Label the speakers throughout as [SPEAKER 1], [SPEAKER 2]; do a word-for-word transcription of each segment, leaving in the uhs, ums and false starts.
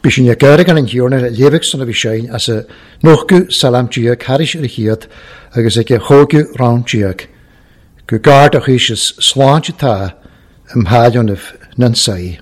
[SPEAKER 1] Bhí sin ag an an thiarna léamh san a bhí sein as a nóchadh salam déag thairis ar a chéad agus ag a chógadh rann déag, go gar do chuis is sláinte tá im thailionamh nansaí.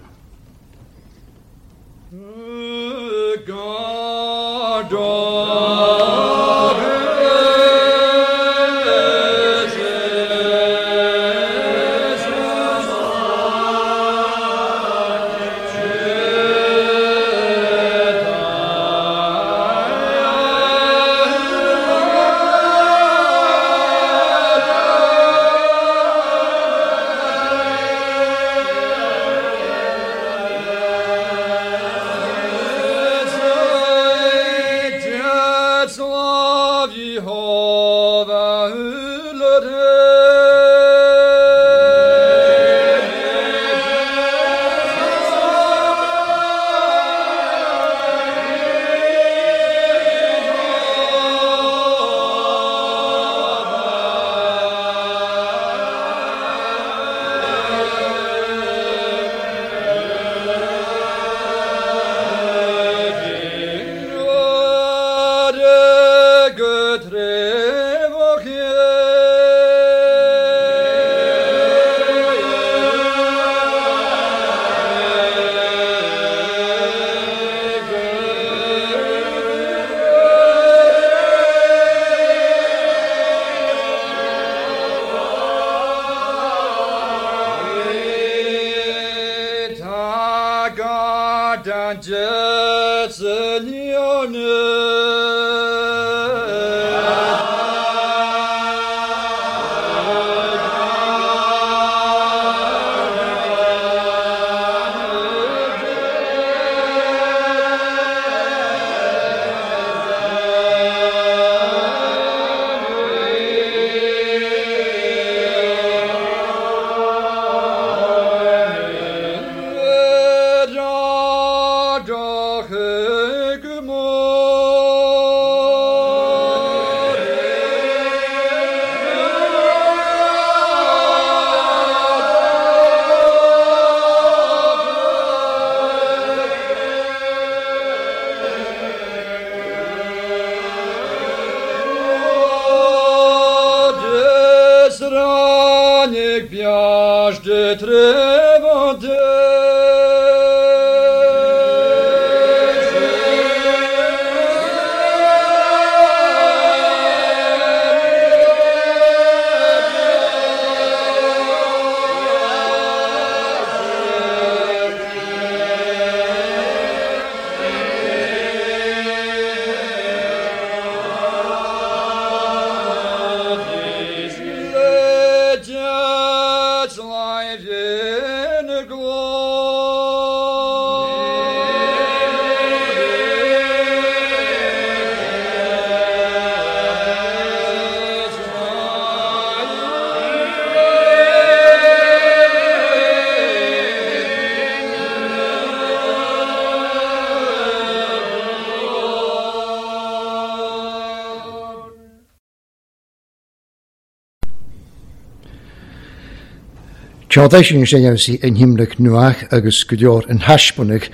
[SPEAKER 1] Teáda sin sé sí an himlach nuach agus go leor an haisbunnach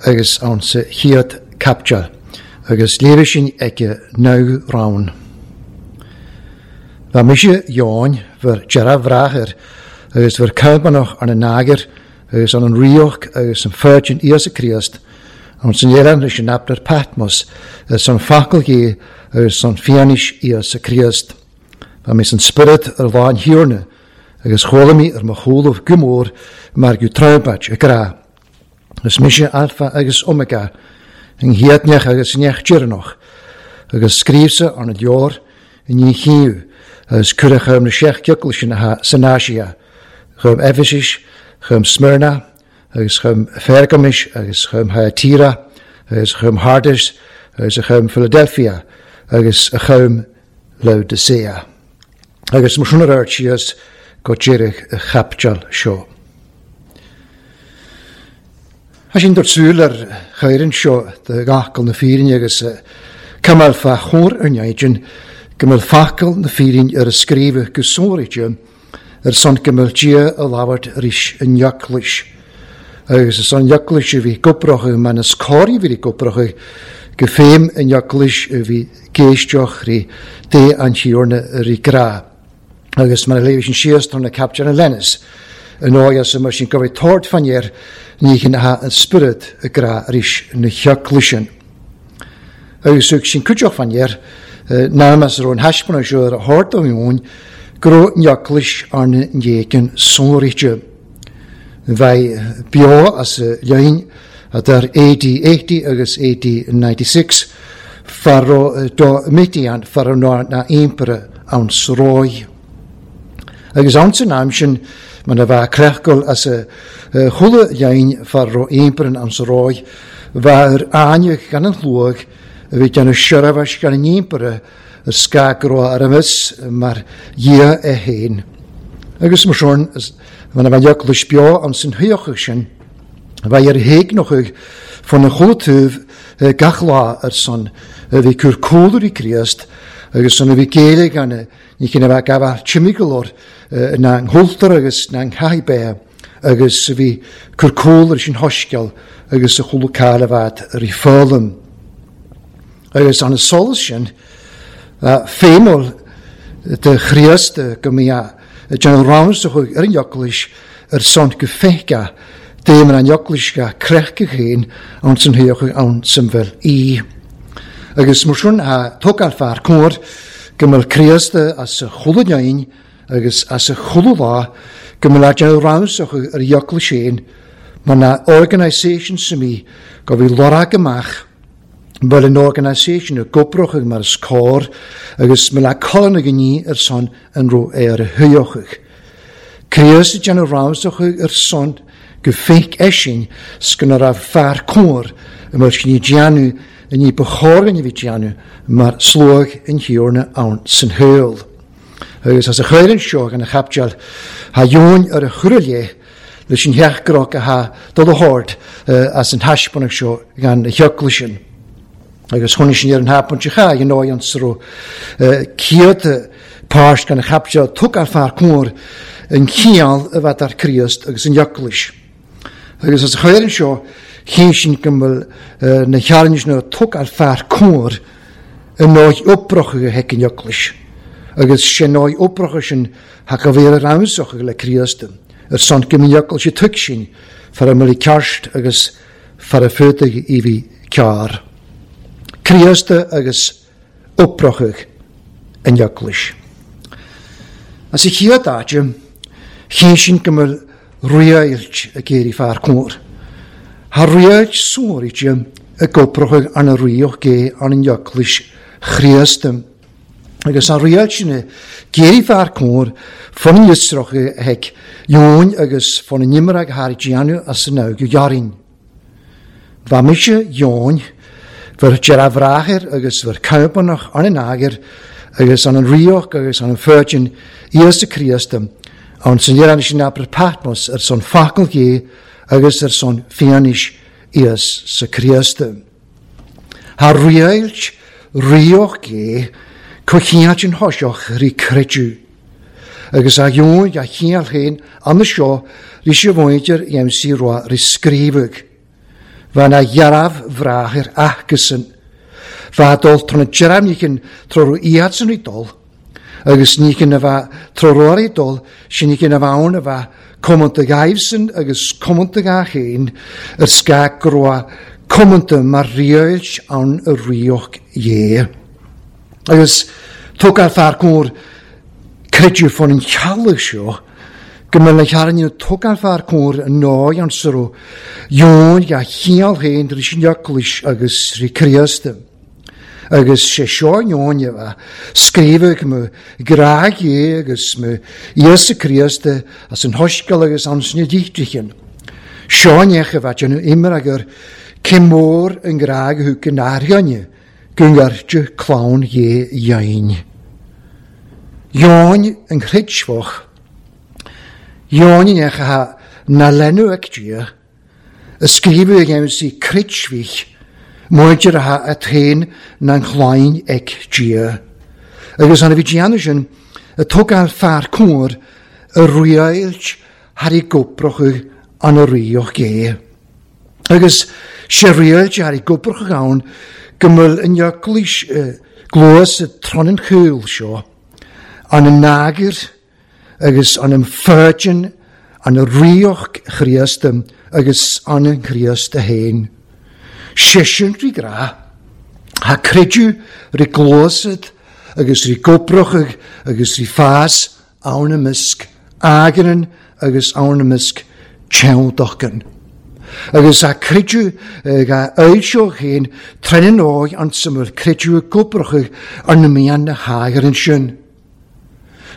[SPEAKER 1] agus ann sa chéad capteal, agus léirigh sin ag naoi rann. Bha mise Eoin bhur dearbhrathair agus bhur caibanach an an agar agus an an rioch agus an Virgin Íosa Críost, an san éan leis an aplar Patmos agus an focal Dhé agus an fianis Íosa Críost. Bha mé san spiorad ar lá an Thiarna, agus chuala mé ar mo chúlamh go mór mar go troimpait a grá. Is mise Alpha agus Omega, an chéadneach agus an deireanach, agus scríobhsa an leor in ní chiú, agus cuireadh chum na seacht gceachla san Áise, chum Ephesus, chum Smyrna, agus chum Phergamis, agus chum Thyatira, agus chum Sardis, agus chum Philadelphia, agus chum Laodicea. Agus mar sin ar síos go deireadh a chapteal seo. Tá sin dúirt súil ar chaireann seo de ghacal na fírinne agus camal fa chór ar neidin, go mbeadh facal na fírinne ar a scríobh go sóraide ar son go mbeadh Dia a labhairt arís in eaglais. Agus is an eaglais a bhí gobrach man is cóirí bhí gobrach go féim an eaglais a bhí géisteach rí dé an tíorna rí grá. Agus mar a léibh sin síos tar na capture an lenis. An ágas mar sin go bhí tord fannéir ní chin ha an spirit a grá rís na heaglaisin. Agus sin cuideach fannéir námas ar an haispeanna seo ar a hort ó húin gro eaglais arna ndéicean sonrite. Bheith beo as lein a dar A D eighty agus A D ninety-six faro do mitian faro na na impere an sroi. Agus an san am sin man a bheith crechgol as a chula lein faro imperen an sroi bheith ar áine gan an chluag a bhí gan a siorafas gan an impere ar scagro ar amis mar dhia e héin. Agus mar sin man a bheith eaglais beo an san thuochach sin, bheith ar héignochach fan na chulatabh gach lá ar son a bhí cur cólar i Críost agus son a bhí géile gan ní cin a bheith gabhar timigolor na ngholtar agus na nghaibé agus a bhí cur cólar sin hosceal agus a chula cáil a bheith ar i fálam. Agus an solas sin féimol de Chríost go mbíodh General Rounds a chuig ar an eaglais ar son go fecha déman an eaglais ga crechca chéin an san thuochach an san bhfuil í. Agus mar sin a tógáil fear cóir go mbeadh Críost as a chula lein agus as a chula lá go mbeadh General Rounds a chuig ar an eaglais féin mar na organisation sa mí go bhí lorg amach bhfuil an organisation a gobrachach mar is cóir agus me le colin a gní ar son an ro ar a thuochach. Críost General Rounds a chuig ar son go féic eisin scan a raibh fear cóir a mar sin ní déanú a ní bechóir a bhí déanú mar slóg an thiorna ann san thuil. Agus as a chuireann seo gan a chapteal ha dheoin ar a churlé leis an theachgrach a ha dul a hord as an haispeanach seo gan a heaglaisin. Agus chun sin ar an hapan se cha an áid an sro céad páist gan a chapteal tug ar fear cóir an chiall a bheith ar Críost agus an eaglais. Agus as a chuireann seo chéin sin go bhfuil na chearnis na tug ar fear cóir an áid oprocha a heic an eaglais. Agus sin áid oprocha sin ha go bhí ar ramsach le Críost ar son go mbíonn eaglais a tug sin far a mbeidh ceart agus far a fuaithe i bhí cearr. Críost agus oprochach an eaglais. As a chéad áite, chéin sin go mbeadh riailt a géirí fear cóir. Ha riailt sóirite a goprochach an a ríoch gé an an eaglais Chríost. Agus an riailt sin a géirí fear cóir fan an yisroch a heic Jón agus fan an nimrag haar déanú as an águ jarin. Bha mise Jón Ver dearbhrachair agus ver caipanach an an ager agus an an rioch agus an an furgin Íosa Críost an san dhéanann sin abair Patmos ar son facal gé agus ar son fianis Íosa Críost. Ha riailt rioch gé cochiant an hoiseach rí creidú. Agus a dheoin a chiall féin an na seo rí sé bhaintear dhéim sí rua rí scríobhadh. Bha na dhearabh bhrachair achasan. Bha dul tron an dearabh nícin tróru iad san rí dul, agus nícin a bha tróru dul, sin nícin a bha ann a bha comanta gaibhsan agus comanta ga chéin ar scag groa comanta mar riailt ann a rioch dhé. Agus tógáil fear cóir creidú fan an chealach seo, go mbeadh na chearna tógáil fear cóir an náid an sro dheoin a chiall féin rí sin eaglais agus rí Críost. Agus sé seo dheoin a bheith scríobhadh mo grá dhé agus mo Íosa Críost as an hoscail agus an sna díchtrichin. Seo neach a bheith déanamh imir agur cé mór an grá go thug an airgeanne go ngairte clann dhé dheoin. Dheoin an chreidseach. Dheoin neach a na lenú ag Dia, a scríobhadh ag sí creidseach, muidir a ha a théin na an chláin ag Dia. Agus an a bhí déanamh sin a tógáil fear cóir a riailt thar i goprochadh an a ríoch gé. Agus sé riailte ar i gwbrwch gawn gymyl yn iaclys glwys y tron yn chwyl sio an y nagur agus an y ffyrgyn an y rioch chriast agus an y chriast y hen. Sesiwn ri gra, ha credu ri glwysyd agus ri gwbrwch agus ri ffas awn ymysg agran agus awn ymysg tewndochgan. Agus a credu ga eilsio hyn trenin o'i an syml credu y gwbrwch an ymian na hager yn sy'n.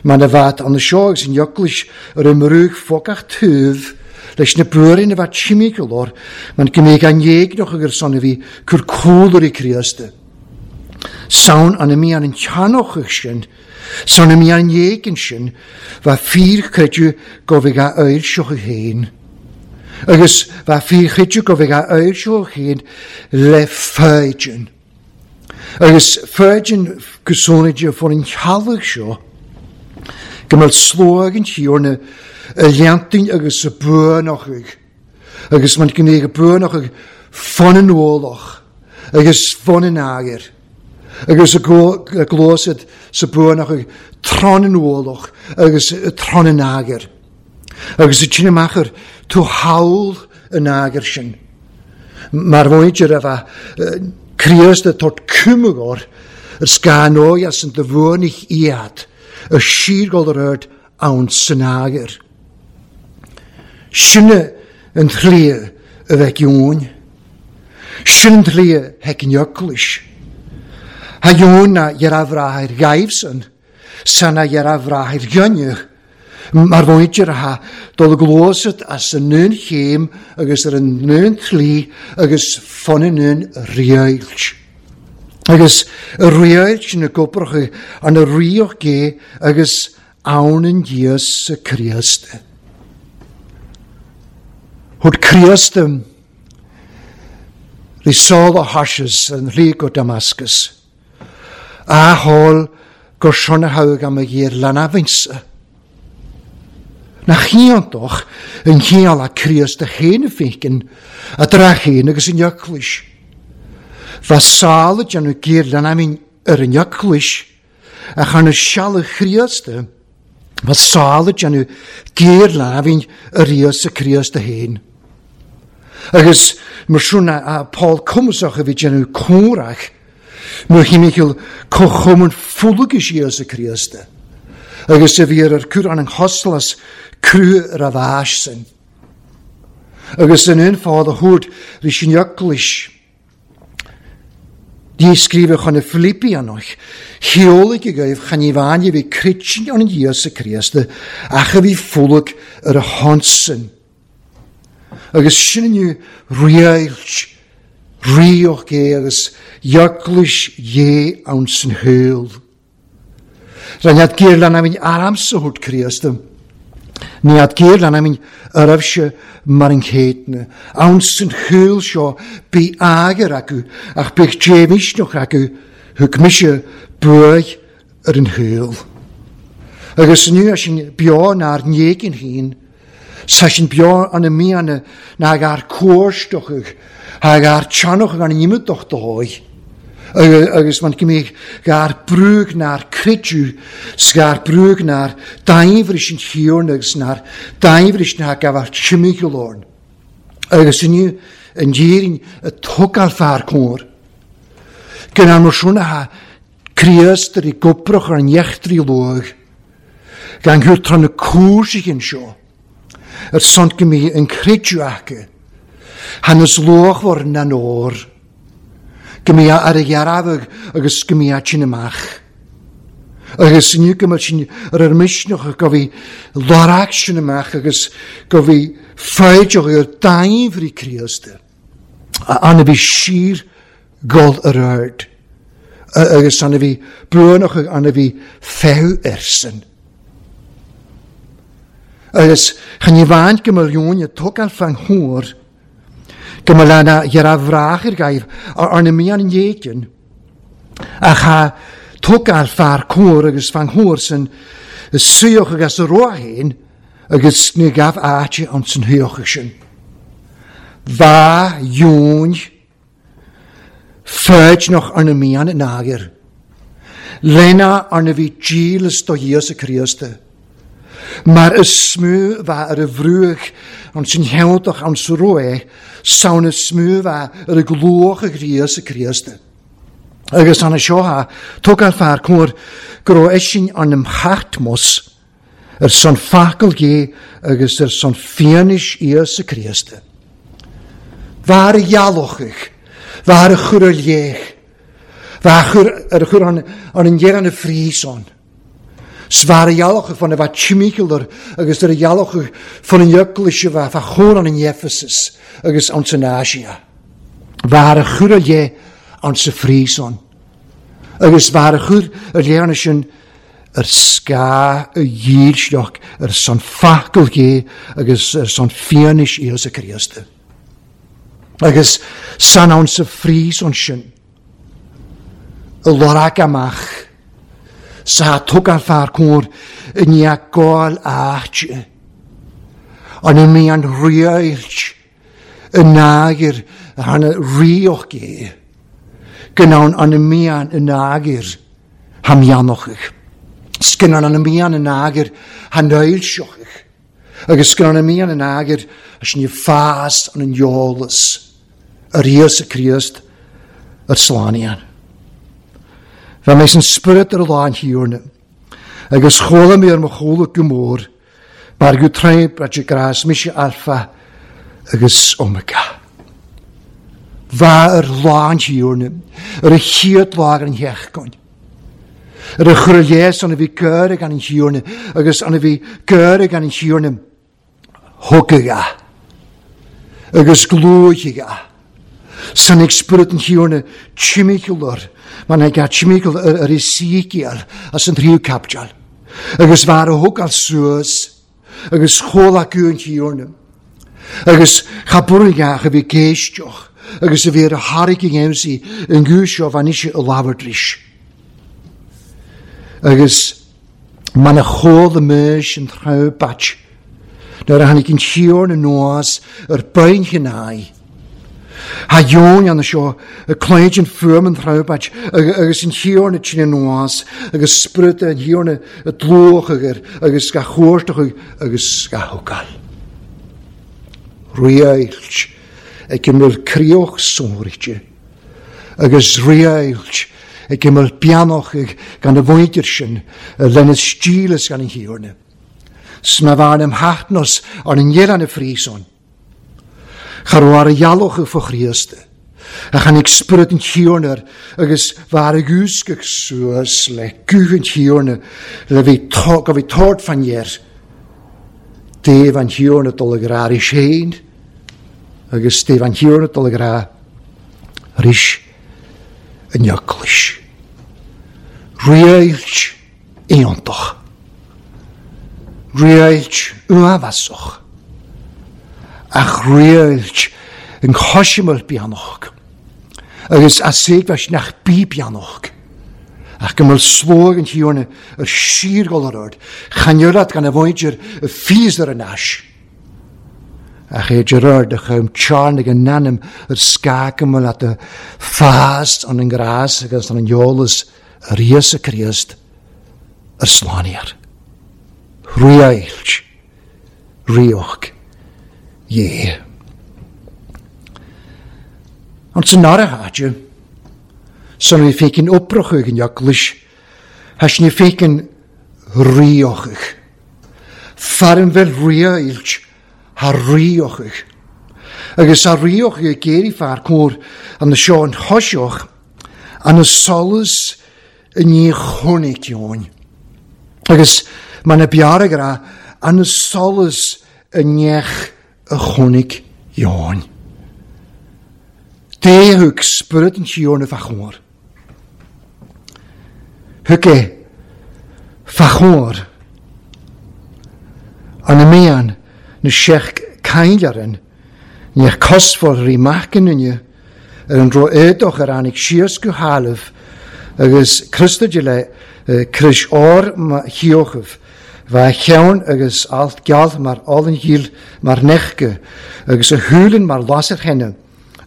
[SPEAKER 1] Mae'n y fat an y sio agus yn ioglis yr ymrwg ffogach tŵf leis na bwrin y fat simigolor mae'n gymig an iegnoch ag son fi cwr cwlwr i criaste. Sawn an ymian yn tianoch ych sy'n, sawn ymian yn iegyn sy'n, fa ffyr credu gofig a eilsio hyn. Agus fa ffyr credu gofig a eilsio hyn le ffeidyn. Agus ffeidyn gysonidio ffôn yn chalach sio, gymryd slwag yn tiwrna y liantyn agus y bwynach. Agus mae'n gymryd y bwynach ffon yn ôloch agus ffon yn ager. Agus y glosyd sy bwynach tron yn ôloch agus y tron yn ager. Agus y ti'n ymachar tw hawl yn ager sy'n. Mae'r fwyd efo criast y tot cymwgor yr sgan oias yn dyfwynich iad y sir gol yr yrd awn synager. Sinne yn thlia y fec iwn. Sinne yn thlia hec yn ioclis. Ha iwn na i'r afrahair gaifsyn, sa na i'r afrahair gynnych. Mae'r fwyd ha dol y glosyd as yn nyn chem agus yr yn nyn thli agus ffon yn nyn riailch. Agus y riailch yn y gwbrwch yn y rioch ge agus awn yn dias y Christ. Hwyd Christ ri sol o hashes yn rhig o Damascus. A hol gorsion y hawg am y gyr lanafins. Na chiantoch yn chial a Christ y hen y ffeicyn a drachyn agus yn iaclys. Fa sal y dyn nhw gyr lanafin yr yn iaclys a chan y sial y Christ fa sal y dyn nhw gyr lanafin yr ias y Christ y hen. Agus mae siwn a Paul cwmsach y fi dyn nhw cwrach mae hi'n michel cochwm yn ffwlwg i ias y Christ. Agus y fi ar yr cwr an yng crw yr afas sy'n. Agus yn un ffordd o hwyd rhys yn iaclys. Di sgrifio chan y Philippianoch, heolig y gaif chan i fan i fi critsin o'n Iesu Christ, ach y fi ffwlwg yr honsyn. Agus sy'n yw riailch, rioch ge, agus iaclys ie awn sy'n hewl. Rhan gyr lan am aram sy hwyd Christ. Ni ad gyr lan am yr efsio mar yn cedna. Awn sy'n hwyl sio bi ager agw, ach bych jefisnoch agw, hwg misio bwy yr yn hwyl. Agus yn yw sy'n bio na'r niegyn hyn, sa sy'n bio an y mian nag ar cwrstoch ag ar tianoch gan ymwdoch doi. Agus mae'n gymig ga'r brwg na'r credu, sga'r brwg na'r daifrys yn hiwrn agus na'r daifrys na gafar chymigolorn. Agus yn yw yn dîrin y togal ffa'r cwr. Gyna nhw swn ha criastr i gwbrwch ar iechdri lwg. Gan hwyr tron y cwrs i gyn sio. Yr sont gymig yn credu ac. Hanes lwch for na'n o'r. Gymia ar y iarafag agus gymia ti'n ymach. Agus yn yw gymryd sy'n yr yrmisnoch ac gofi lorag sy'n ymach agus gofi ffeidioch i'r daifri Christ. A anna fi sir gol yr yrd. Agus anna fi brwynoch ac anna fi ffew ersyn. Agus chan i fan gymryd iwn y togal fan hwyr gymryd lana i'r afrach i'r gair ar y mian yn iegyn a cha togal ffa'r cwr agus fan hwyr sy'n y syoch agus y roa hyn agus ní gabh áite an san thuocha sin. Bha dheoin féid nach arna mian in ágir. Lena arna bhí dílas do Íosa Críosta. Mar is smú bha ar a bhrúach an sin heantach an sa roé, saon is smú bha ar a glóach a Íosa Críosta. Agus an seo ha, tugann fear cóir go raibh eisin an imtheachtmos ar son facal gé agus ar son fianis Íosa Críosta. Bha ar a ghealachach, bha ar a chur ar léich, bha ar a chur an an dhéan na fríson. Svar a ghealachach fan a bheith timícealar agus ar a ghealachach fan an jöklische bheith fa chór an in Ephesus agus an san Asia. Bha ar a chur ar léich an sa fríson. Agus bha ar a chur ar léanna sin ar sca a dhílsleach ar son facal gé agus ar son fianis Íosa Críosta. Agus san ann sa fríson sin y lorag amach sa tugann fear cóir i ndiaidh gáil áite an i mí an riailt i nágir an rioch gé gynnawn an y mian y nágir hamianochach. Sgynnawn an y mian y nágir hanoilsiochach. Agus sgynnawn y mian y nágir as ni fas an yn iolas yr Íosa Críost yr slánian. Fa mees an spirit ar lán hiúrna, agus chóla mé ar mo chóla go mór, mar go tréimh a grás mise alfa agus omega. Bha ar lán hiúrna, ar a chiad lá ar an theachcoin. Ar a chur léas an a bhí cur gan an hiúrna, agus an a bhí cur gan an hiúrna thugacha, agus glúicheacha. San ag spirit an hiúrna timícealar, man ag a timíceal ar i síceal as an tríú capteal. Agus bhar a thugáil suas, agus chóla go an hiúrna. Agus chaburigach a bhí géisteach, agus a bhí ar a thairg aimsí an gúiseo bhain ise a labhairdris. Agus man a chóla meis an tráth bait, nuair a tháinig an hiúrna nuas ar bain chináí. Ha dheoin an seo y cléid an fuam an tráth agus an hiúrna tine nuas agus spirit an hiúrna y dlúch agur agus ga chuairteach agus ga thugáil. Riailt ag ymwyl crioch sórichte agus riailt ag ymwyl bianoch gan y fwydir sin lena stílas gan an hiúrna. Sma bhain am hachtnos ar an dhéan y fríson. Char ar a ghealach fo Chríosta. A chan ag spirit an hiúrna agus bhar a gúscach suas le gúch an hiúrna le bhí go bhí tord fan dhéir. Déh an hiúrna dul ag rá ris héin agus déh an hiúrna dul ag rá ris an jöklis. Riailt aontach. Riailt uafasach. Ach riailt yn chosimol bianoch. Agus a seigfas nach bí bianoch. Ach gymol slóg yn hiúrna yr sírgol ar ord. Chaniolat gan y fwydir y ffys ar y nas. Ach e gerard a chym charn ag an nanim yr sgag ymwyl at y ffast an yn gras agus an yn iolas yr Íosa Críost yr slániar. Riailt. Rioch. Jé. Ond sy'n ar a háte, san ní fécin oprochach yn jaclis, has ní fécin riochach. Farin fel riailt ha riochach. Agus a riochach y géri far cór an na seo an chosioch an na solas yn ní chónig ioin. Agus ma na biarag ra an na solas yn neach y chónig ioin. Dé thug spirit an hiúrna fa chór. Thug é fa chór. An y mian na seach cainlearan neach cosfór rí macin inne ar an dro éadoch ar anig síos go hálf agus Críosta le cris ór ma hiochaf Bha cheann agus alt geall mar olann ghill mar nechge, agus a thuilleann mar lasair thine,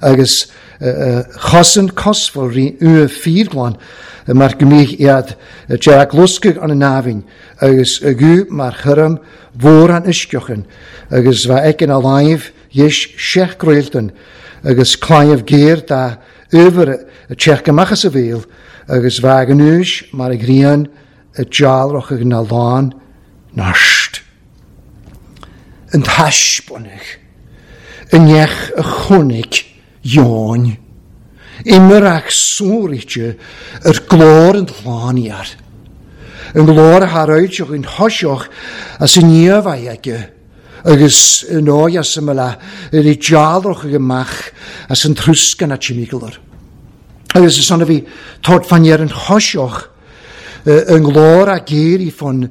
[SPEAKER 1] agus chosan cosmhail rí ua fíorghlan mar go mbíodh iad dearg luscadh an námhain, agus a gú mar churm mhór an uisceachan, agus bha aici a láimh dheis seach gréaltan, agus claíomh géar dá uimhir a teach amach as a bhéal, agus bha ag an úis mar a ghrian a dealrach na lán narst. An taispeánach, an neach a chonaic Eoin, imirach sóirite ar glór an tslánaíar, an glór a tharáilteach an thoiseach as an niamh aige, agus an óige as an mbealach ar i dealrach amach as an trúscan a timiglar. Agus is ann a bhí tabhairt fan ar an thoiseach, an glór a géirí fan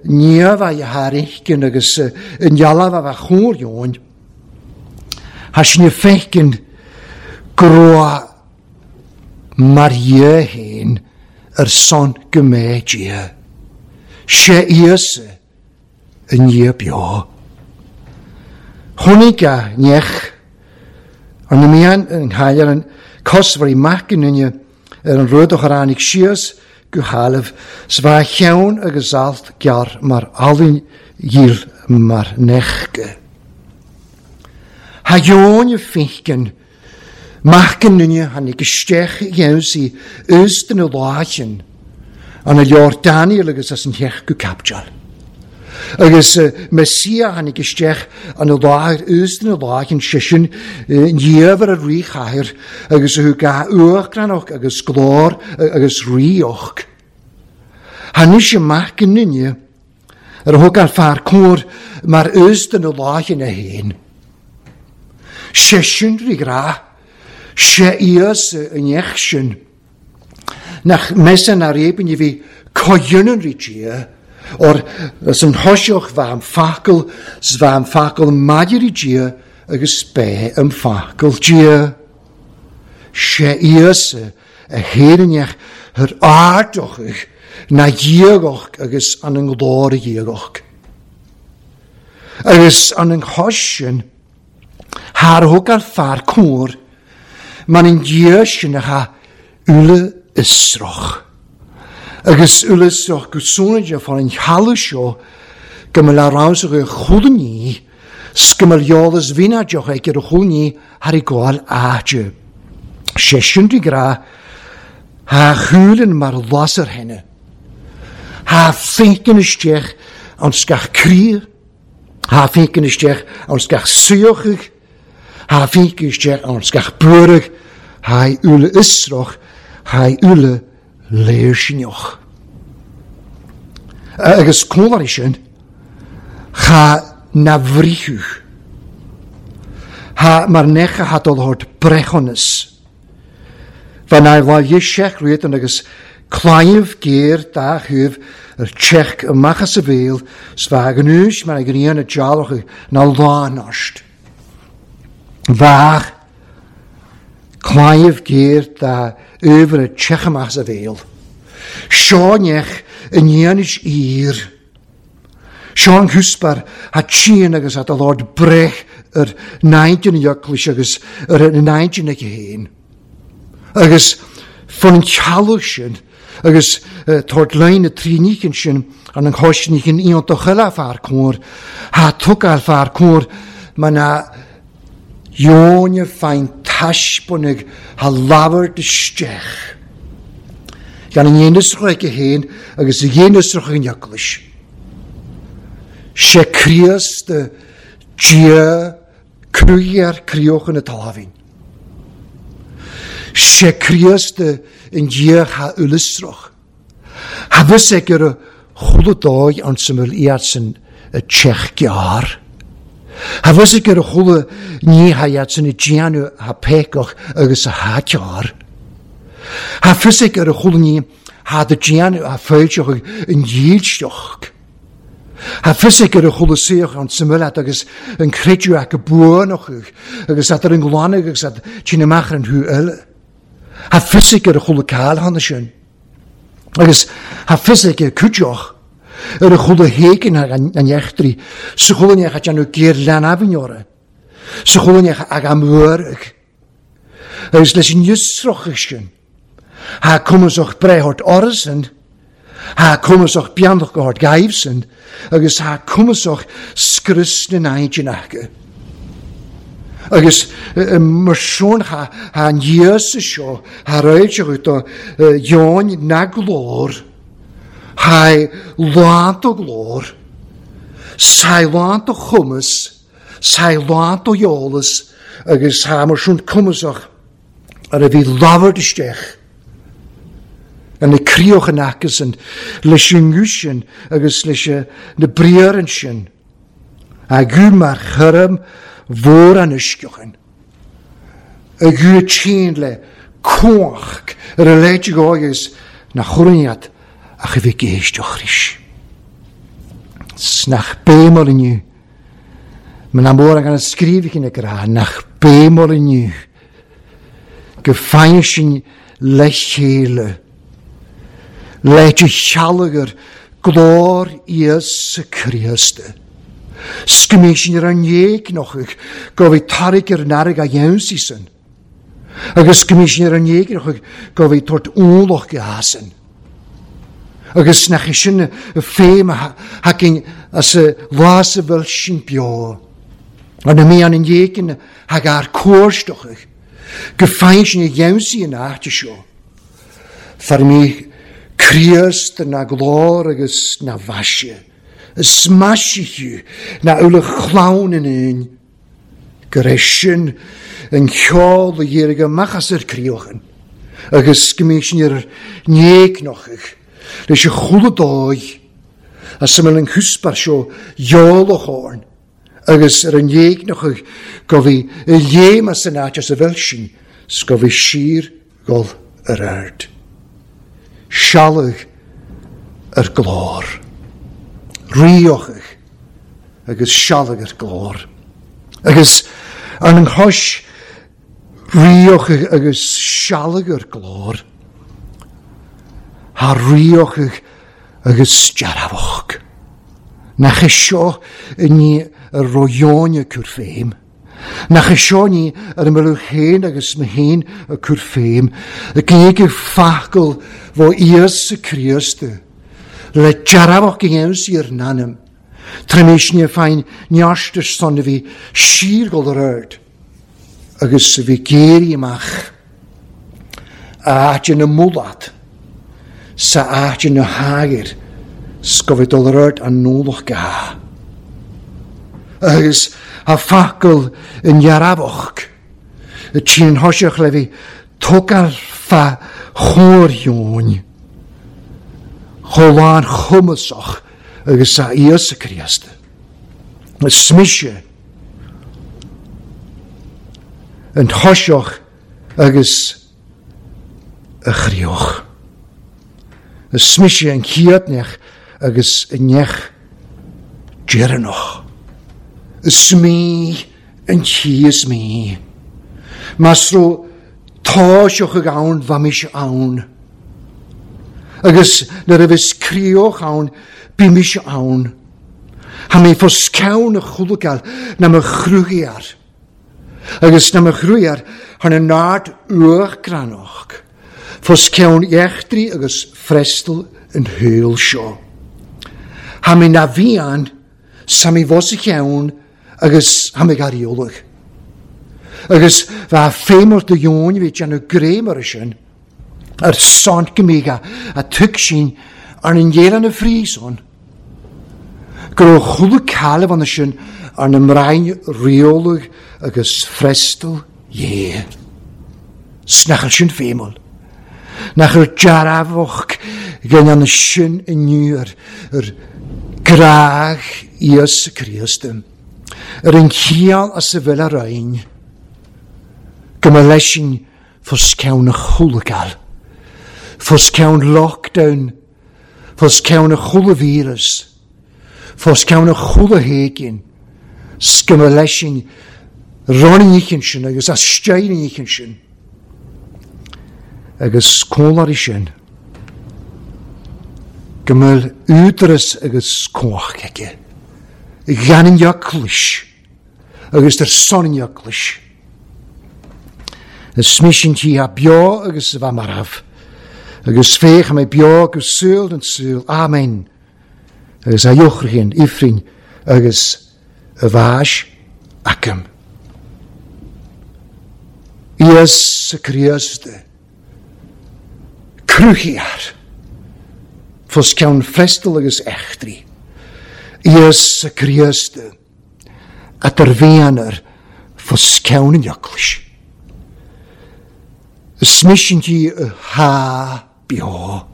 [SPEAKER 1] niamh a thairicin agus an dealbh a bheith chóir Eoin. Tá sin feicin groa mar dhé féin ar son go mbeidh Dia. Sé Íosa i ndiaidh beo. Chonaic a neach an mian an chaillear an cosmhairí mac an duine ar an rud a chuir síos go thalamh sa bha cheann agus alt gearr mar alainn dhíl mar nechge. Ha Eoin feicin mac an duine tháinig isteach dhéansaí ús den láchin an a leor Daniel agus as an theach go capteal. Agus Messia tháinig isteach an a láthair ús den láchin sisin dhiamhair a ríchathair agus a thug a uachtaránach agus glór agus ríoch. Tháinig mac an duine ar a thug an fear cóir mar ús den láchin a haon. Sé sin rí grá, sé Íosa an neach sin, nach measann ar éibinn a bhí coiúnan rí Dia, or as an thoiseach bha an facal, s bha an facal maidir rí Dia agus bé an facal Dia. Sé Íosa a héireann thar ardochach na dhiagach agus an an glór dhiagach. Agus an an chois sin, Haar thug ar fear cóir, man an Dia sin a cha uile isroch. Agus uile isroch go sónaide fan an chaladh seo go mbeadh le ramsach ar chualann s go mbeadh eolas bhínáideach ag ar chualann thar i gcáil áite. Sé sin de grá, ha chualann mar lasair thine. Ha féiceann isteach an sgach crí, ha féiceann isteach an sgach suíochach, ha féiceann isteach an sgach buarach, ha uile isroch, ha uile léirsinneach. Agus cólarí sin, cha na bhrichuch. Ha mar necha hat al hort brechonas. Van na lá dheis rian agus claíomh géar dá chuimh ar teach amach as a bhéal, s bha an úis mar a ghrian a dealrach na lánast. Bhach claíomh géar dá uimhir a teach amach as a bhéal. Seo neach in dhéanais ír. Seo an chuspar ha tían agus at a lord brech ar naintinn ioclais agus ar naintinn ag héin. Agus fan an tealach sin agus tabhairt lein na trínícin sin an an choisnícin iontach eile fear cóir, ha tugáil fear cóir mar na Eoin fein taispeánach ha labhairt isteach. Gan an dhéanasrach ag héin agus a dhéanasrach an ioclais. Sé Críost Dia cruiar críochan na talamhain. Sé Críost an Dia ha ulisroch. Ha bhus ag ar a chuile dóigh an samhail iad san a teach gearr. Ha bhus ag ar a chuile ní ha iad san a déanamh ha pécach agus a ha cearr. Ha bhus ag ar a chuile ní ha da déanamh ha fáilteach an dhílseach. Ha bhus ag ar a chuile saoch an samhail agus an creidiú ag a buanach agus at ar an glanach agus at tína amach an thu eile. Ha bhus ag ar a chuile cáil hanna sin. Agus ha bhus ag ar cuideach Ar a chuile héigin an eachtraí, sa chuile neach a déanamh géar leanamhneora, sa chuile neach ag amhúrach. Agus leis an fhiosrachadh sin, ha cumasach breithort orasan, ha cumasach beannach go hard gaibhsan, agus ha cumasach scrios na n-aigin acu. Agus mar sin ha an Íosa seo, ha réiteach do dheoin na glór, ha lán do glór, sa lán do chumas, sa lán do eolas, agus ha mar sin cumasach ar a bhí labhairt isteach. An na críoch an acusan, leis an nguth sin agus leis na briathra sin. A gú mar churm mhór an uisceachan. A gú tséan le cumhacht ar a leithéid agus na chorniad ach a bhí géisteach ris. Nach béimol inniu. Ma na mór an scríobh na grá, nach béimol inniu. Go faigheann sin le chéile. Leite shealgar glór Íosa Críost. Sgymí sin ar an éignochach go bhí tarraig ar an airg a dhéansaí san. Agus sgymí sin ar an éignochach go bhí tort úlach go hasan. Agus nach é sin féim a hacin as a lá a bhfuil sin beo. An na mí an an éigin hag ar cuairstochach go faigheann sin a dhéansaí an áite seo. Far mí Críost na glór agus na bhaise. Is maisiú na uile chlann in aon. Gur é sin an ceol a dhírigh amach as ar críochan. Agus go mbí sin ar néignochach leis an chuile dóigh as a bhfuil an cúspar seo eolach orn. Agus ar an néignochach go bhí i léim as an áit as a bhfuil sin, 's go bhí siar gol ar aird. Sealbh ar glór. Ríochach agus sealbh ar glór. Agus ar an chois ríochach agus sealbh ar glór. Ha ríochach agus dearfach. Nach é seo ní a roióine cur féim. Nach é seo ní ar an mbealach féin agus na héin a cur féim. A gnéige facail bhó Íosa Críost. Le dearfach go dhéansaí ar n-ainm. Tar éis ní féin neartas son a bhí siar gol ar aird. Agus a bhí géirí amach. A áit ina mulat. Sa áit ina hagair. 's go bhí dul ar aird an nólach ga. Agus a facail in dhearfach. Y tîn thoiseach le bhí tógáil fa chóir Chomh lán chumasach agus a Íosa Críost. Is mise an thoiseach agus a chríoch. Is mise an chéadneach agus an neach deireanach. Is mí an tí is mí. Mas ro táiseach ag ann bha mise ann. Agus nuair a bhís críoch ann, bí mise ann. Ha mé fós ceann a chúlagáil na mo chrúigear. Agus na mo chrúigear han an nád uachgranach. Fós ceann eachtraí agus frestal an shaol seo. Ha mé na bhí ann, sa mé bhos a cheann agus ha mé gar eolach. Agus bha féimar do dheoin bhí déanamh gréim ar sin. Ar son go mí a a tug sin ar an dhéan na fríson. Go raibh chuile calamh an sin ar na mbrain riolach agus frestal dhé. Snachal sin féimol. Nach ar dearfach gan an sin inniu ar, ar graag Íosa Críost. Ar an chiall as a bhfuil a roinn. Go mba leis sin fós ceann a chúlagáil. Fós ceann lockdown. Fós ceann a chuile víreas. Fós ceann a chuile héigin. 's go mba leis sin ranníochan sin agus as steirníochan sin. Agus cóláirí sin. Go mbeadh údaras agus cumhacht aige. Gan an eaglais agus ar son an eaglais. Is misean tí a beo agus a bheith marbh. Agus féach mé beo go saol den saol. Amen. Agus a eochraíonn ifrinn agus a bhais agam. Íosa Críost cruthaíoir fós ceann freastal agus eachtraí. Íosa Críost at ar bhéanar fós ceann an eaglais. Is misean tí a há beo.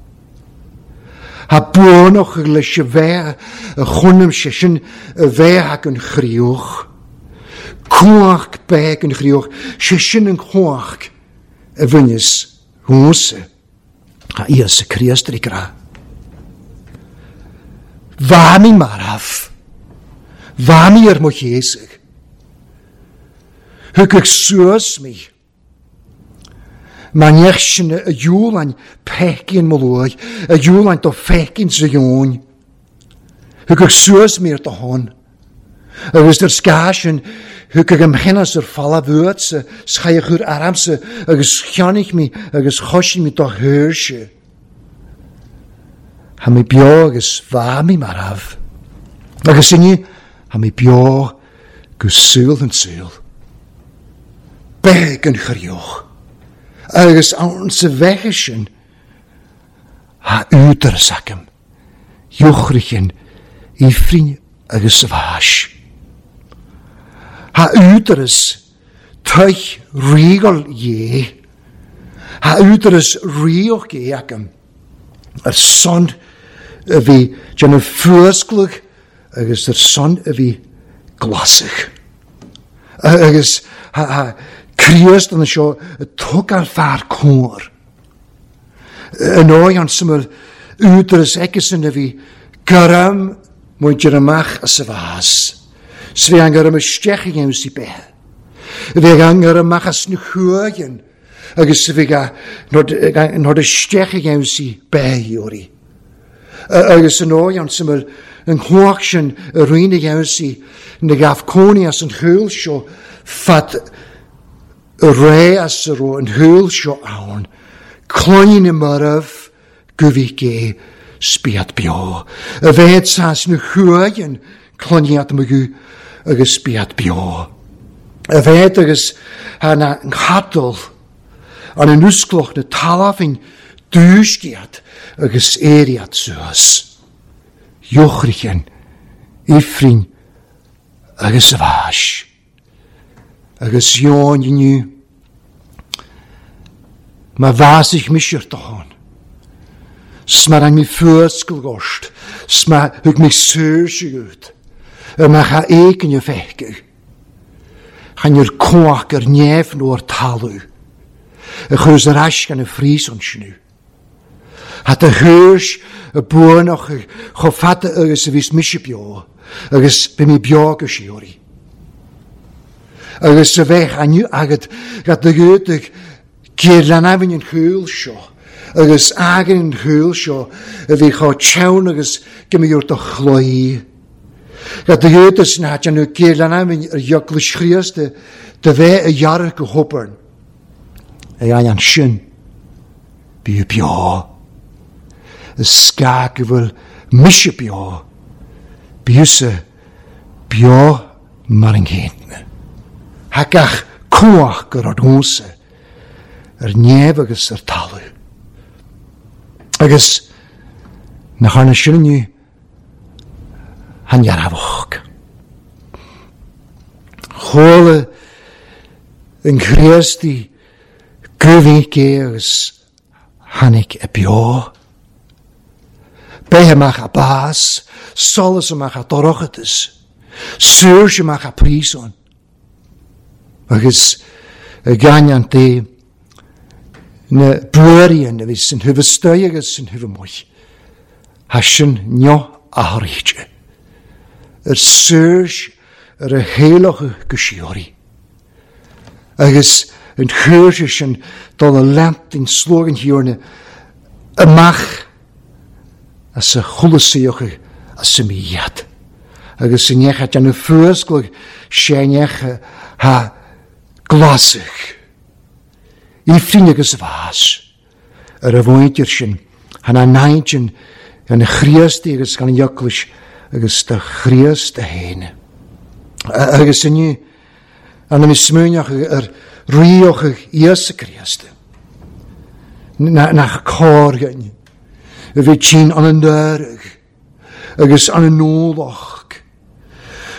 [SPEAKER 1] Ha buanach leis a bheith a chunam sé sin a bheith ag an chríoch. Cumhacht beag an chríoch, sé sin an chumhacht a bhaineas thusa. Ha Íosa Críost ar grá. Bha mé marbh. Bha mé ar mo chéasach. Thug ag suas mé. Ma neach sin a dhiúlainn peicín mo luaith, a dhiúlainn do feicín sa dheoin. Thug ag suas mé ar do hon. Agus ar scá sin, thug ag am chinnas ar falla bhuatsa, schaidh chur aramsa, agus cheannaigh mé agus choisigh mé do thuirse. Ha mé beo agus bha mé marbh. Agus inniu, ha mé beo go saol an saol. Beag an chríoch. Agus ann sa bheithe sin, ha údaras agam, eochraíonn ifrinn agus sa bhais. Ha údaras tuich ríogal dhé. Ha údaras ríoch dhé agam. Ar son a bhí déanamh fuasclach agus ar son a bhí glasach. Agus ha, ha Críost an seo tug ar fear cóir. An ói an syml údaras aigesan a bhí garam muintir amach as a bhás. S bhí an garam isteach i gceann sí beithe. Bhí an garam amach as na chuaigin agus bhí nod isteach i gceann sí beithe. Agus an ói an syml an chumhacht sin a rinne i gceann sí na gabh cónaí as an chúl seo fad a ré as a raibh an chúl seo ann, cloigne na marbh go bhí gé spiad beo. A bheith sas na chuaigin cloigne at mo agus spiad beo. A bheith agus na chadal an an uscloch na talafin dúisciad agus éiriad suas. Eochraíonn, ifrinn agus a bhais. Agus dheoin inniu, ma bhásach misir do hon. Sma an mi fuascail gost, sma thug mé saoirse gut, ar ma cha éicin a feicadh. Chan ar cumhacht ar neamh nó ar talamh, a chuir ar ais gan a fríos an sinú. Hat a thuirs a buanach chomh fada agus a bhís mise beo, agus bhí mé beo go síoraí. Agus a bheith aniu agad gad na gúdaigh géarlanamhain an chúl seo, agus agan an chúl seo a bhí chomh teann agus go mbeadh do chloí. Gad na gúdaigh sin hat anú géarlanamhain ar eaglais Chríost de bheith a dhearradh go hobair. A an sin bí beo. Is scá go bhfuil mise beo. Bíosa beo mar an chéanna. Ha gach cumhacht gur ar dónsa ar neamh agus ar talamh. Agus nach arna sin inniu han dhearfach. Chuala an Chríostaí go bhí agus tháinig a beo. Beith amach a bás, solas amach a dorchadas, saoirse amach a príosún. Agus a gainean dé na buairíonn a bhí san thuibh agus san thuibh amuigh. Ha sin neo a thairte. Ar saoirse ar a héileach go síoraí. Agus an chuirse sin dul a leant in slógan thiarna amach as a chulasíoch as a míad. Agus sin necha an fuasclach sé necha ha glasach. Ifrin agus bhás ar a bhaintir sin, han an naintin an chríost agus gan eaglais agus do Chríost a fhéin. Agus inniu an am smuineach ar ríoch Íosa Críost. Nach cóirgain a bhí tín an an deireadh agus an an nólach.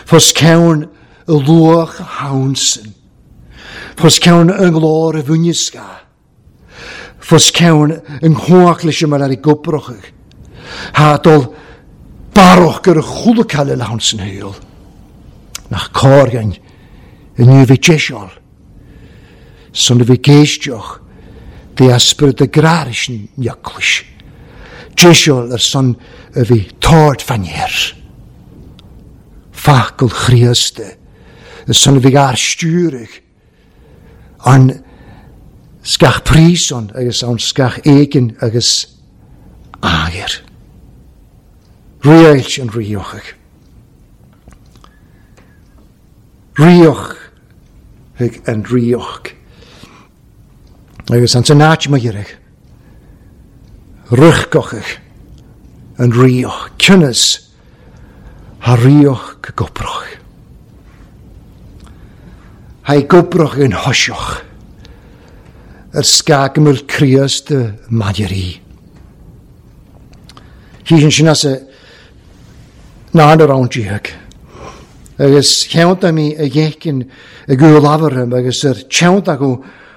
[SPEAKER 1] Fos ceann y luach hawnsin. Fos ceann yn glór y fwnisga. Fos ceann yn chwach leis yma ar ei gwbroch. Ha dol baroch gyr y chwlwcal y lawnsin hyl. Nach cóirgain yn yw fi jesiol. Son y fi geistioch de ysbryd y graris yn iaclwys. Jesiol yr son y fi tord fanier. Facl chriaste. Y son y fi gar stiwrig. An sgach prison agus an sgach egin agus ager. Riail yn riochig. Rioch yn rioch. Agus an sy'n ma gyrig. Rychgochig yn rioch. Cynnes ha rioch gobroch. Hai gobroch yn hosioch. Yr sgag ymwyl criast y madiri. Hi sy'n sy'n as y na'n yr awn diag. Agus cheant am i y iechyn y gwyl afarym agus yr cheant ag o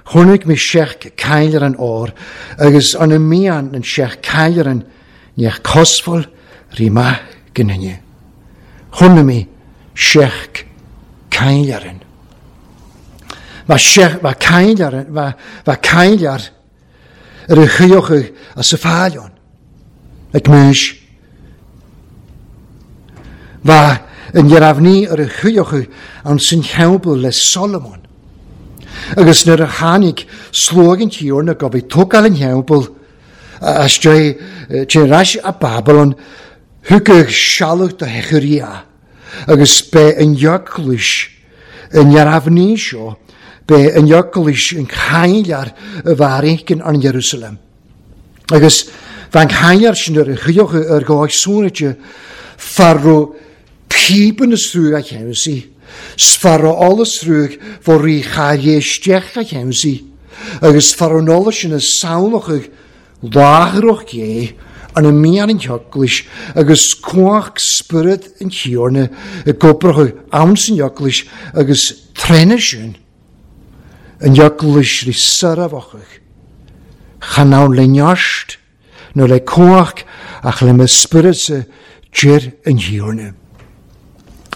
[SPEAKER 1] chwnig mi siech cael an o'r agus an y mian yn siech cael an niech cosfol rima gynnyni. Chwnig mi siech cael an. Mae siech, mae cael ar, mae, mae cael ar yr ychioch as y ffalion. Ac mwys. Mae yn yrafni yr ychioch an sy'n helbl le Solomon. Agus nyr y hanig slwg yn tiwr na gofi twgal yn helbl as drwy ras a Babylon hwgych sialwch dy hechuria agus be yn iaclwys yn yrafni sio be yn iaclwys yn cael ar y farig yn an Jerusalem. Agus fan cael ar sy'n yr ychioch yr goeg sŵn ydy farw pib yn y srwg a chemsi. Sfarro ol y srwg fo ri chael iestiech a chemsi. Agus farw nol sy'n y sawloch ag lagrwch ge an y mian yn iaclwys agus cwach spirit yn tiwrna y gobroch ag awn sy'n iaclwys agus trenna sy'n yn iaclwys ri syrafach ag chanawn le niasht no le cwach ach le my spirit sy gyr yn tiwrna.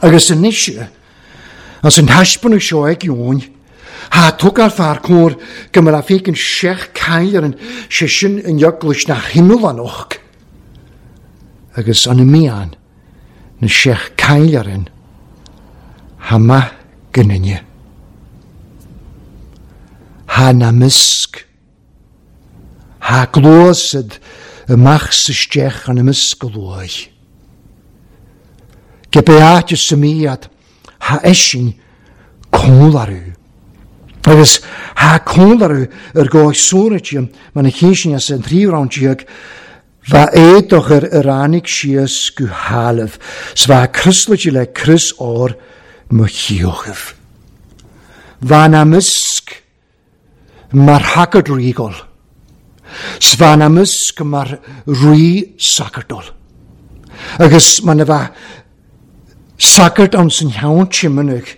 [SPEAKER 1] Agus yn nisio as yn hasbyn sio ag iwn, ha twg ar ffa'r cwr gymryd a ffig yn siech cael yn sisiwn yn iaclwys na hyml anoch. Agus an y mian na siech cael ar yn hama gynnyni. Ha na mysg. Ha glosyd y mach systiech an y mysg gloi. Gebeat y symiad ha eisiau cwlarw. Agus ha cwlarw yr goes sŵn ydy, mae'n y cysyn as yn tri rawn diag, fa edoch yr yr anig sias gwhalaf, sfa cryslyg le crys o'r mychiochaf. Fa na mysg mae'r hagod rigol. Sfa na mysg mae'r rhi sagardol. Agus mae'n fa sagard ond sy'n iawn chymynig.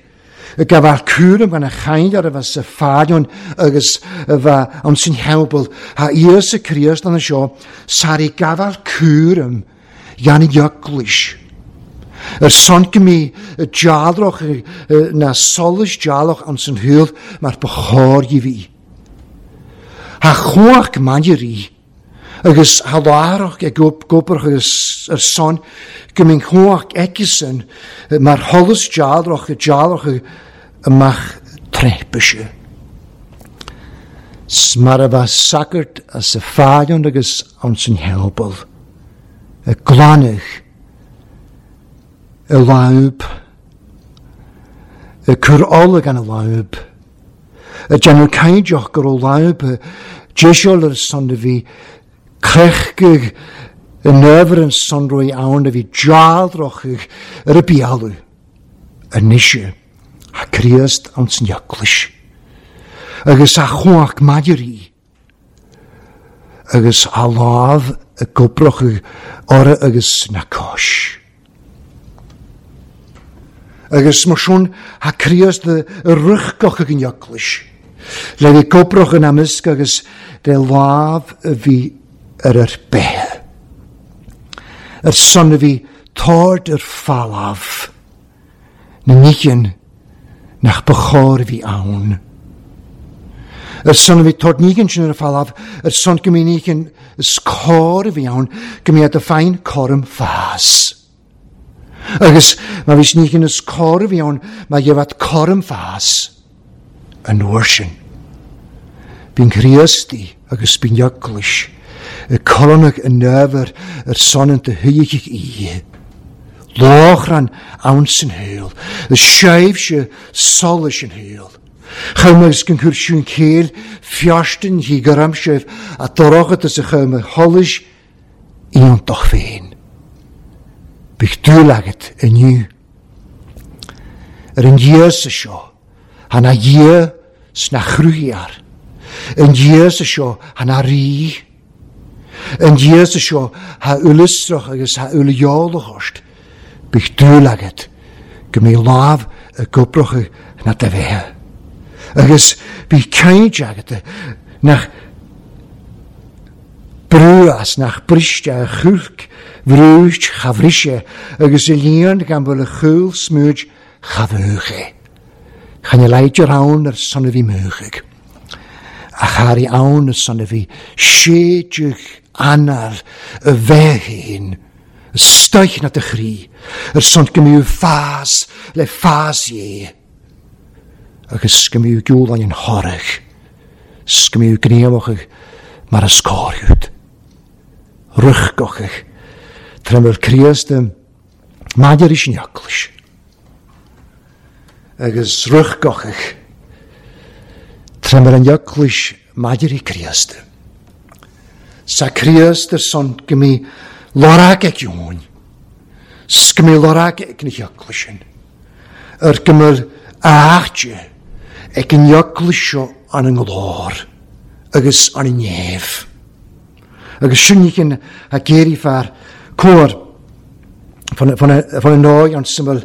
[SPEAKER 1] Y gafal cwrym gan y chael ar y fas y ffalion agus y fa ond sy'n helbl. Ha Ios y Christ yn y sio, sar i gafal cwrym gan y iaclwys. Yr son gymi y jalroch na solus jalroch ond sy'n hwyl mae'r bychor i fi. Ha chwach man i ri. Agus ha larach e gwbrach agus yr son gymyn chwach egysyn mae'r holus jalroch y jalroch ymach trepysio. Smar a fa sagart as y ffalion agus ond sy'n helbl. y glanach, y lawb, y cwr oleg an y lawb, y janw caidioch gyr o lawb, y jesiol yr son y fi, crechgig, y nyfr yn sonrwy awn y fi jaldrochig yr y bialw, y nisio, a Christ ans yn iaclish. Agus a chwach madir i, agus a láf y gobroch ora agus na cois. Agus mar sin ha Christ y rychgoch ag yn iaclish. Le fi gobroch yn amysg agus de láf y fi yr yr behe. Yr son y fi tord yr falaf. Na nichen nach bechor fi awn. Yr son fi tord nichen sy'n yr falaf, yr son gymi nichen ysgor fi awn, gymi ad y ffain corym ffas. Agus ma fys nichen ysgor fi awn, mae gefat corym ffas yn wrsin. Fi'n Christi agus fi'n iaglis, y colonog yn nyfr yr son yn dyhyigig i. Lochran awns yn heil, y seifse solus yn heil. Chymys gyn cwrsiwn cel, ffiastyn hi gyramsef, a dorochad ys y chymys holys ion doch fein. Bych dwylaget yn yw. Yr yn Iesu sio, hana ie sna chrwyar. Yn Iesu sio, hana ri. Yn Iesu sio, ha ulysroch agus ha uliolochost. Bych dwylaget, gymi laf y gobroch na dyfeha. Agus bhí caint agat nach brúas nach briste a chulc vrúist chavrise agus y líon gan bhfuil a chúl smúid chavúche. Chan i leidir ann ar son a bhí múchaig. A chari ann ar son a bhí séideach anal y bheith stoich na dy chrí, ar son gymyw ffas le ffas ie. Agus gymyw gwylan yn horach, sgymyw gneoch mar ysgorhwyd. Rychgochach, tremel Christ maidir is neaclais. Agus rychgochach, tremel an neaclais maidir i Christ. Sa Christ ar son gymi lorag ag iwn, sgymi lorag ag na heaclais. Ar gymyl achtje ag yn neaclais seo an yng nglór, agus an yng nef. Agus sinnichen a geiri far cór fan y noi an syml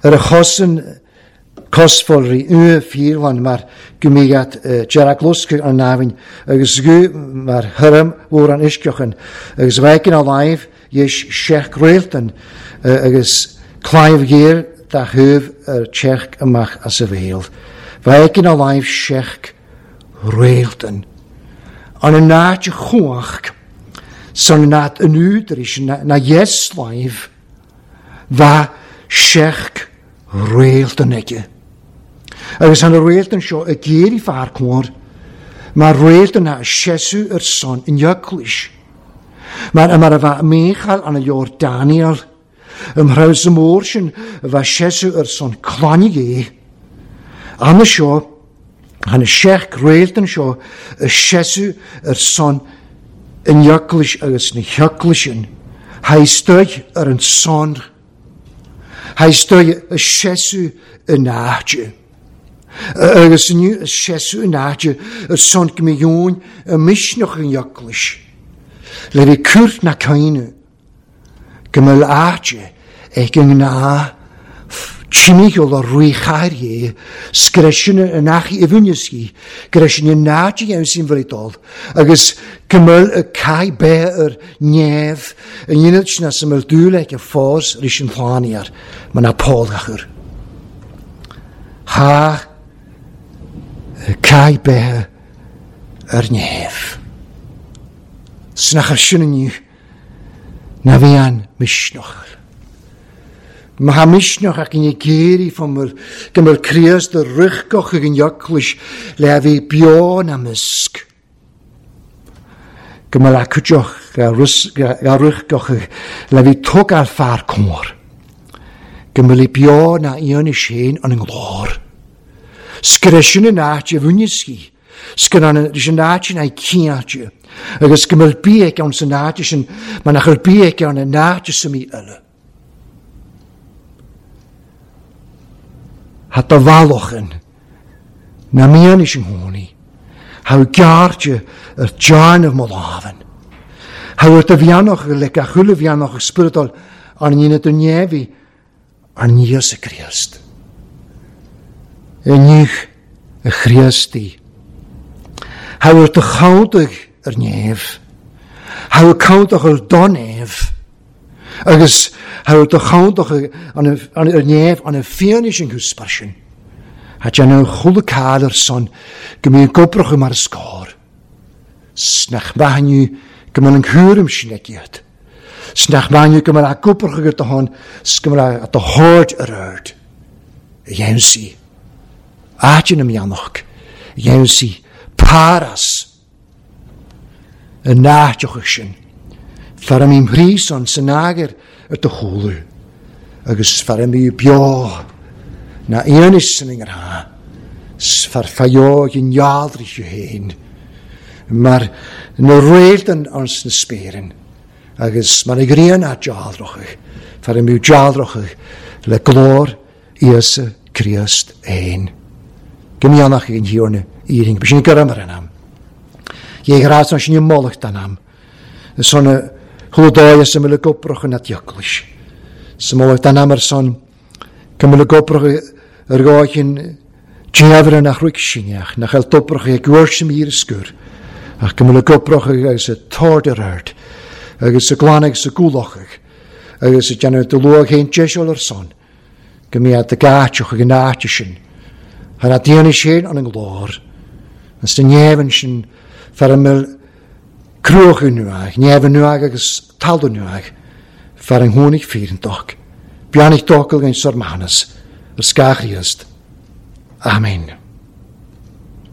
[SPEAKER 1] yr achosin cosfolri y ffyrlan mar gymigat Geraglusg an nafin agus gw mar hyrm wr an isgiochen agus feikin a laif yesh sheach reilten agus claif geir da hyf yr tserch ymach as y feil. Feikin a laif sheach reilten. An y naad chwach, son naad yn udris, na, na yeslaif, fa sheach reilten ege. Agus an y reilten sio y geir i far cwr, mae'r reilten na siesu yr son yn iaclis. Mae'r yma fa Michal an y ior Daniel, ymhraws y môr sy'n fa siesu yr son clanig e. An y sio, an y sheach reilten sio, y siesu yr son yn iaclis agus na hiaclisin. Hai stoig yr yn son. Hai stoig y siesu yn ahtje. Agus yn y siesu yn ahtje, yr son gymio'n y misnoch yn iaclis. Le fi cwrt na cainu, gymyl ahtje ag yng na Timiol o rwychair ie, sgresyn yn achi ifwniysgi, gresyn yn naji iawn sy'n fyrydol, agus gymyl y cae be yr nef, yn unod sy'n asyml dwyleg y ffos rys yn llaniar, mae na pol achur. Ha, y cae be yr nef. Sy'n achar sy'n yn yw, na fi an misnoch. Mae ha misnoch ac yn ei geiri fan gymyl Christ y rychgoch ag yn iaclys le a fi bio na mysg. Gymyl acwtioch Ga rith le bhí tógáil fear cóir. Go mbeidh beo na aon sin an nglór. Sgur sin an áit a bhaine sí. Sgur an áit sin é ciáte. Agus go mbeidh bia ann san áit sin, mar nach bhfuil bia ann an áit sa mí eile. Hat a bhallochan na mian is an hónaí. Há gearrte ar dearnamh mo lámhan. Há ar do bheannach le gach uile bheannach spioradal an ndéanamh do neamhaí an Íosa Críost. Inniu a Chríostaí. Há ar do chomhdach ar neamh. Há ar chomhdach ar do neamh. Agus há ar do chomhdach ar neamh an a fianaise an gúspar sin. Há déanamh chuile cáil ar son go mbíonn gobrach mar scór. Snach maithniú go mbeidh an cúram sin ag iad. Snach maithniú go mbeidh a gobrach agat do hon, go mbeidh a do thaird ar aird. A dhéanamh sí. Áit na mianach. A dhéanamh sí. Paras. An áiteochaidh sin. Fear a mbím thríos san agar ar do chúlú. Agus fear a mbí beo. Na aonis san ingar. Fear faio gin jaldrich féin. Mar na réaltan ans na spéireann. Agus mar a ghrian a jaldrochaidh. Fear a mbí jaldrochaidh le glór Íosa Críost féin. Go mianach ag an thiarna iarraidh. Ba sin go mar an am. Dhé ghrás sin i molacht an am. Son a chuldáia sa mile gobrach an atiochlis. Sa molacht an am ar son go mile gobrach ar gáchin déabhar nach ruic sinneach, nach eil dobrach ag gwrs im hir sgur. Ach go mile gobrach agus a tord ar aird, agus a glan agus a gúlachach, agus a déanamh de luach héin deisiol ar son, go mbeadh de gáiteach ag an áite sin. Thar a déanamh sin an an glór, agus de neamhan sin fear a mil cruach nuach, neamhan nuach agus talamh nuach, fear an tháinig fírintoch. Beannacht d'fhocal gan sár manas, ar scáth Chríost. Amen.